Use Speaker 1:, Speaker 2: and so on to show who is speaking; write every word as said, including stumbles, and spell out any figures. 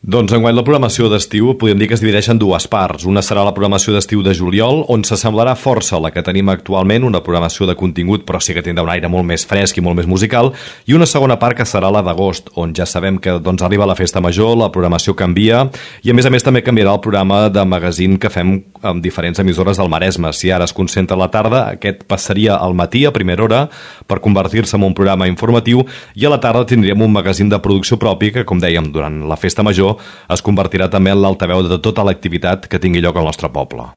Speaker 1: Doncs enguany la programació d'estiu podem dir que es divideix en dues parts. Una serà la programació d'estiu de juliol, on s'assemblarà força a la que tenim actualment, una programació de contingut però sí que tindrà un aire molt més fresc i molt més musical, i una segona part que serà la d'agost, on ja sabem que doncs, arriba la festa major, la programació canvia, i a més a més també canviarà el programa de magazine que fem amb diferents emissores del Maresme. Si ara es concentra a la tarda, aquest passaria al matí a primera hora per convertir-se en un programa informatiu, i a la tarda tindríem un magazine de producció propi que, com dèiem, durant la festa major es convertirà també en l'altaveu de tota l'activitat que tingui lloc al nostre poble.